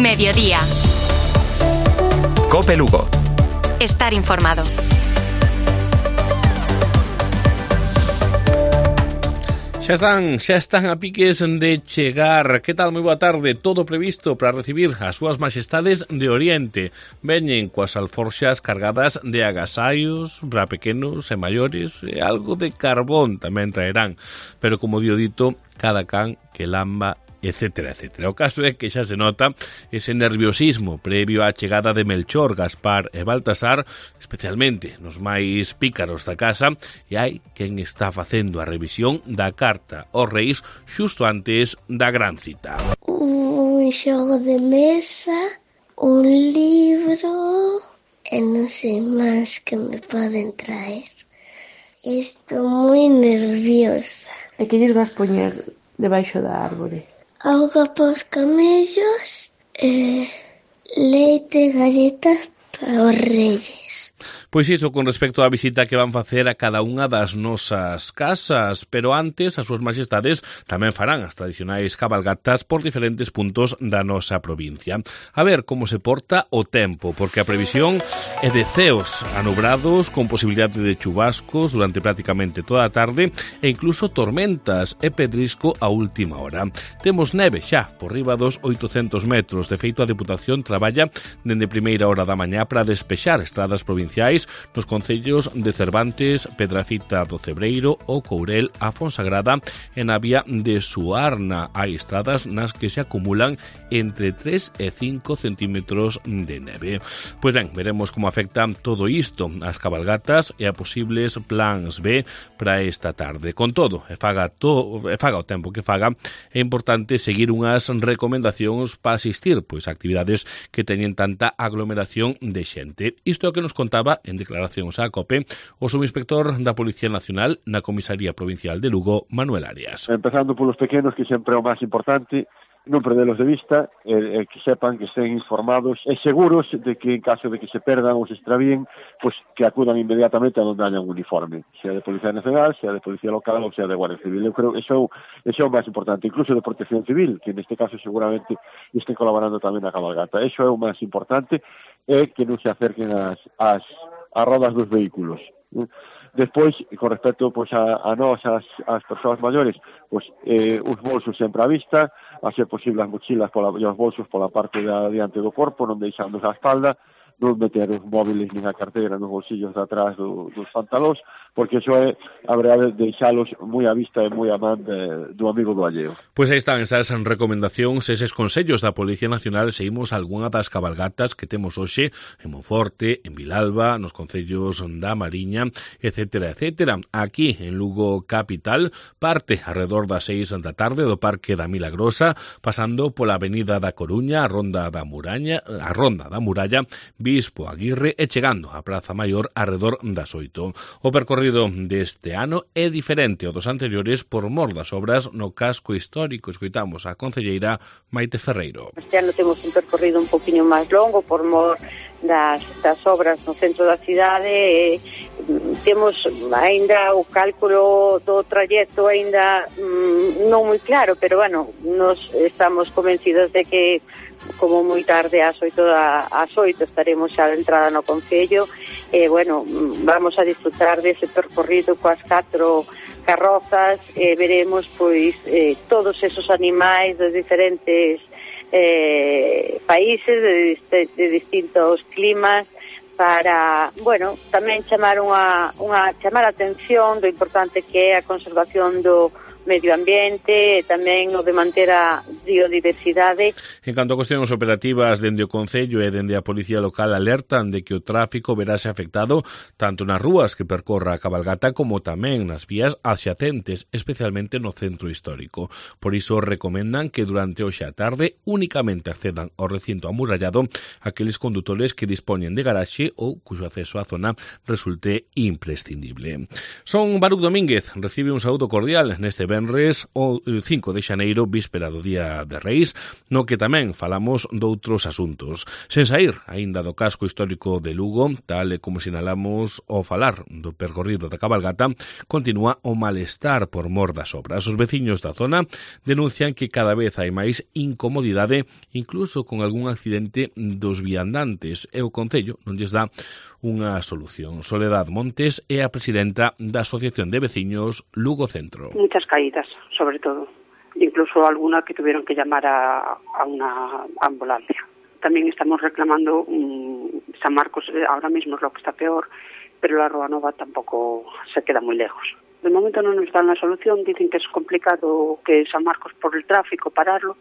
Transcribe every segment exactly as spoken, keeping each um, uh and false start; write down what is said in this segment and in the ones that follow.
Mediodía. COPE Lugo. Estar informado. Xa están, xa están a piques de chegar. Que tal? Moi boa tarde. Todo previsto para recibir as súas majestades de Oriente. Veñen coas alforxas cargadas de agasallos para pequenos e maiores, e algo de carbón tamén traerán. Pero como dio dito, cada can que lamba, etcétera, etcétera. O caso é que xa se nota ese nerviosismo previo á chegada de Melchor, Gaspar e Baltasar, especialmente nos máis pícaros da casa, e hai quen está facendo a revisión da carta aos reis xusto antes da gran cita. Un xogo de mesa, un libro e non sei máis que me poden traer. Estou moi nerviosa. E que lles vas poñer debaixo da árbore? Auga pos camellos e leite e galletas para os reis. Pois iso con respecto á visita que van facer a cada unha das nosas casas, pero antes as súas majestades tamén farán as tradicionais cabalgatas por diferentes puntos da nosa provincia. A ver como se porta o tempo, porque a previsión é de ceos anubrados con posibilidade de chubascos durante prácticamente toda a tarde e incluso tormentas e pedrisco a última hora. Temos neve xa por riba dos oitocentos metros. De feito, a Deputación traballa dende primeira hora da mañá para despexar estradas provinciais nos concellos de Cervantes, Pedrafita do Cebreiro, O Courel, a Fonsagrada e na vía de Suarna. Hai estradas nas que se acumulan entre tres e cinco centímetros de neve. Pois ben, veremos como afecta todo isto as cabalgatas e a posibles plans B para esta tarde. Con todo, e faga, to, e faga o tempo que faga, é importante seguir unhas recomendacións para asistir pois a actividades que teñen tanta aglomeración de xente. Isto é o que nos contaba en declaracións á COPE o subinspector da Policía Nacional na Comisaría Provincial de Lugo, Manuel Arias. Empezando polos pequenos, que sempre é o máis importante, non perdelos de vista, e, e que sepan que estén informados e seguros de que en caso de que se perdan ou se extravíen, pues que acudan inmediatamente a donde haya un uniforme, sea de Policía Nacional, sea de Policía Local ou sea de Guardia Civil. Eu creo que eso, eso é o máis importante, incluso de Protección Civil, que neste caso seguramente estén colaborando tamén na cabalgata. Eso é o máis importante, é que non se acerquen as, as, as rodas dos vehículos. Despois, con respecto pois, a, a nós, as, as persoas maiores, pois, eh, os bolsos sempre à vista, a ser posible as mochilas pola, e os bolsos pola parte de diante do corpo, non deixando a espalda, non meter os móviles nin a carteira nos bolsillos de atrás do, dos pantalóns, porque iso é a verdade de deixalos moi á vista e moi a man de, do amigo do alleo. Pois aí están esas recomendacións, eses consellos da Policía Nacional. Seguimos algunha das cabalgatas que temos hoxe en Monforte, en Vilalba, nos concellos da Mariña, etcétera, etcétera. Aquí, en Lugo capital, parte alrededor das seis da tarde do Parque da Milagrosa, pasando pola Avenida da Coruña, a Ronda da Muralla, a Ronda da Muralla, Bispo Aguirre e chegando á Praza Maior arredor das oito. O percorrido deste ano é diferente ao dos anteriores por mor das obras no casco histórico. Escoitamos a concelleira Maite Ferreiro. Este ano temos un percorrido un poquinho máis longo por mor das, das obras no centro da cidade e temos aínda o cálculo do trayecto aínda mm, non moi claro, pero bueno, nos estamos convencidos de que como moi tarde ás oito, ás oito estaremos xa de entrada no concello e bueno, vamos a disfrutar dese percorrido coas catro carrozas e veremos pois eh, todos esos animais dos diferentes eh, países de, de, de distintos climas para, bueno, tamén chamar unha, unha chamar a atención do importante que é a conservación do medio ambiente e tamén o de manter a biodiversidade. En canto a cuestións operativas, dende o Concello e dende a Policía Local alertan de que o tráfico verase afectado tanto nas rúas que percorra a cabalgata como tamén nas vías adxacentes, especialmente no centro histórico. Por iso recomendan que durante hoxe a tarde únicamente accedan ao recinto amurallado aqueles condutores que dispoñen de garaxe ou cuxo acceso á zona resulte imprescindible. Son Baruc Domínguez, recibe un saúdo cordial neste venres o cinco de xaneiro, víspera do Día de Reis, no que tamén falamos doutros asuntos. Sen saír aínda do casco histórico de Lugo, tal e como sinalamos ao falar do percorrido da cabalgata, continúa o malestar por mor das obras. Os veciños da zona denuncian que cada vez hai máis incomodidade, incluso con algún accidente dos viandantes, e o Concello non lles dá unha solución. Soledad Montes é a presidenta da Asociación de Veciños Lugo Centro. Muchas caídas, sobre todo. Incluso alguna que tuvieron que llamar a, a una ambulancia. También estamos reclamando um, San Marcos, ahora mismo es lo que está peor, pero la Rúa Nova tampoco se queda muy lejos. De momento no nos dan la solución, dicen que es complicado que San Marcos por el tráfico pararlo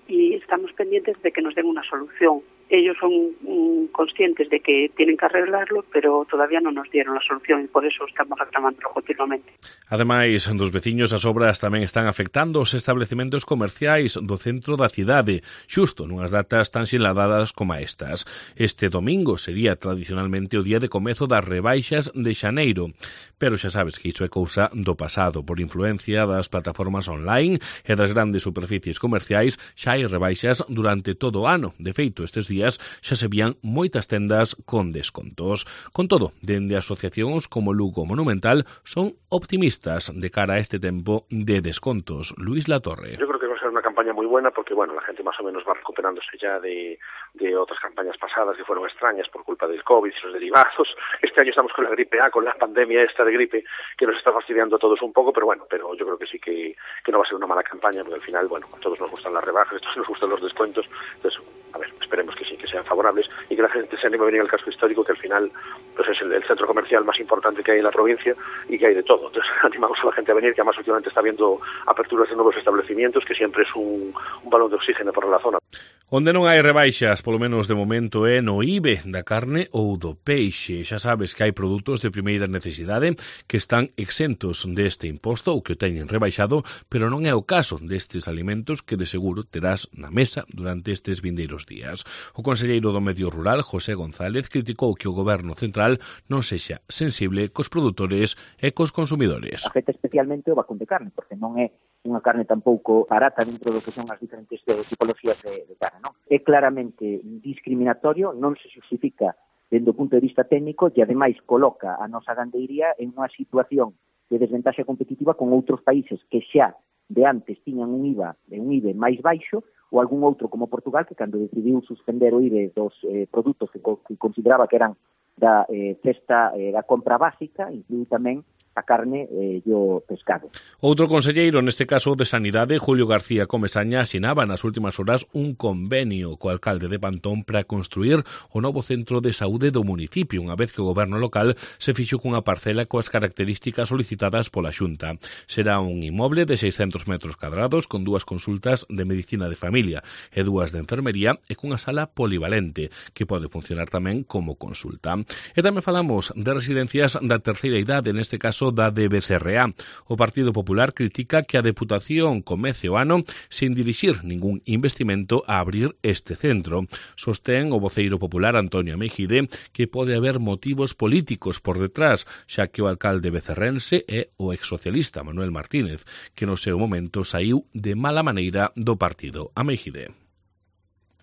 y estamos pendientes de que nos den una solución. Ellos son mm, conscientes de que tienen que arreglarlo, pero todavía non nos dieron a solución e por eso estamos reclamándolo continuamente. Ademais dos veciños, as obras tamén están afectando os establecementos comerciais do centro da cidade, xusto nunhas datas tan sinladadas como estas. Este domingo sería tradicionalmente o día de comezo das rebaixas de xaneiro, pero xa sabes que iso é cousa do pasado. Por influencia das plataformas online e das grandes superficies comerciais, xa hai rebaixas durante todo o ano. De feito, estes días xa se vían moitas tendas con descontos. Con todo, dende asociacións como Lugo Monumental son optimistas de cara a este tempo de descontos. Luis Latorre. Yo creo que va a ser una campaña muy buena porque, bueno, la gente más o menos va recuperándose ya de, de otras campañas pasadas que fueron extrañas por culpa del COVID y sus derivados. Este año estamos con la gripe A, con la pandemia esta de gripe que nos está fastidiando a todos un poco, pero bueno, pero yo creo que sí que, que no va a ser una mala campaña porque al final, bueno, a todos nos gustan las rebajas, a todos nos gustan los descuentos, entonces, a ver, esperemos que sí, que sean favorables y que la gente se anime a venir al casco histórico, que al final pues es el, el centro comercial más importante que hay en la provincia y que hay de todo. Entonces animamos a la gente a venir, que además últimamente está habiendo aperturas de nuevos establecimientos, que siempre es un, un balón de oxígeno para la zona. Onde non hai rebaixas, polo menos de momento, é no I B E da carne ou do peixe. Xa sabes que hai produtos de primeira necesidade que están exentos deste imposto ou que o teñen rebaixado, pero non é o caso destes alimentos que de seguro terás na mesa durante estes vindeiros días. O conselleiro do Medio Rural, José González, criticou que o Goberno Central non sexa sensible cos produtores e cos consumidores. Afecta especialmente o vacún de carne, porque non é unha carne tampouco barata dentro do que son as diferentes tipologías de, de carne. Non? É claramente discriminatorio, non se justifica dende o punto de vista técnico e ademais coloca a nosa gandeiría en unha situación de desventaxa competitiva con outros países que xa de antes tiñan un I V A de un I V E máis baixo ou algún outro como Portugal que cando decidiu suspender o I V E dos eh, produtos que, co que consideraba que eran da eh, cesta eh, da compra básica, incluíu tamén a carne e eh, o pescado. Outro conselleiro, neste caso de Sanidade, Julio García Comesaña, asinaba nas últimas horas un convenio co alcalde de Pantón para construir o novo centro de saúde do municipio, unha vez que o goberno local se fixo cunha parcela coas características solicitadas pola Xunta. Será un inmoble de seiscentos metros cadrados con dúas consultas de medicina de familia e dúas de enfermería e cunha sala polivalente que pode funcionar tamén como consulta. E tamén falamos de residencias da terceira idade, neste caso da de Becerreá. O Partido Popular critica que a Deputación comece o ano sin dirixir ningún investimento a abrir este centro. Sostén o voceiro popular Antonio Mejide que pode haber motivos políticos por detrás, xa que o alcalde becerrense é o exsocialista Manuel Martínez, que no seu momento saiu de mala maneira do partido. A Mejide.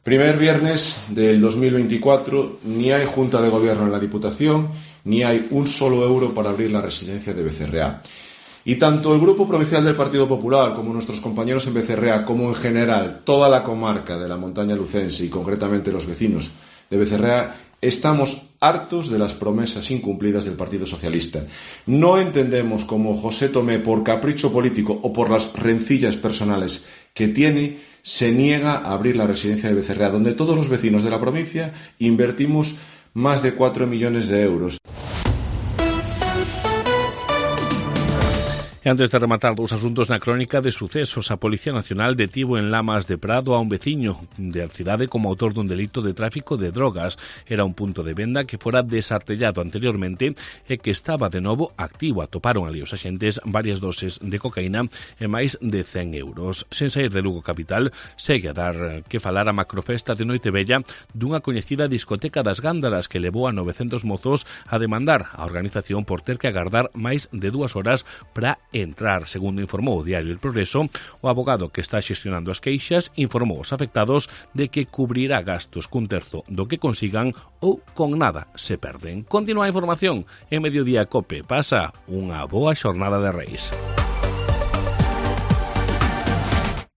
Primer viernes del dos mil veinticuatro, ni hay Junta de Gobierno en la Diputación, ni hay un solo euro para abrir la residencia de Becerreá. Y tanto el Grupo Provincial del Partido Popular como nuestros compañeros en Becerreá, como en general toda la comarca de la montaña lucense y concretamente los vecinos de Becerreá, estamos hartos de las promesas incumplidas del Partido Socialista. No entendemos cómo José Tomé, por capricho político o por las rencillas personales que tiene, se niega a abrir la residencia de Becerreá, donde todos los vecinos de la provincia invertimos más de cuatro millones de euros. E antes de rematar dous asuntos na crónica de sucesos, a Policía Nacional detivo en Lamas de Prado a un veciño da cidade como autor dun delito de tráfico de drogas. Era un punto de venda que fora desartellado anteriormente e que estaba de novo activo. Atoparon ali os axentes varias doses de cocaína e máis de cen euros. Sen sair de Lugo capital, segue a dar que falar a macrofesta de Noitevella dunha coñecida discoteca das Gándaras que levou a novecentos mozos a demandar a organización por ter que agardar máis de dúas horas para entrar. Segundo informou o diario El Progreso, o abogado que está xestionando as queixas informou os afectados de que cubrirá gastos cun terzo do que consigan ou con nada se perden. Continúa a información en Mediodía Cope. Pasa unha boa xornada de Reis.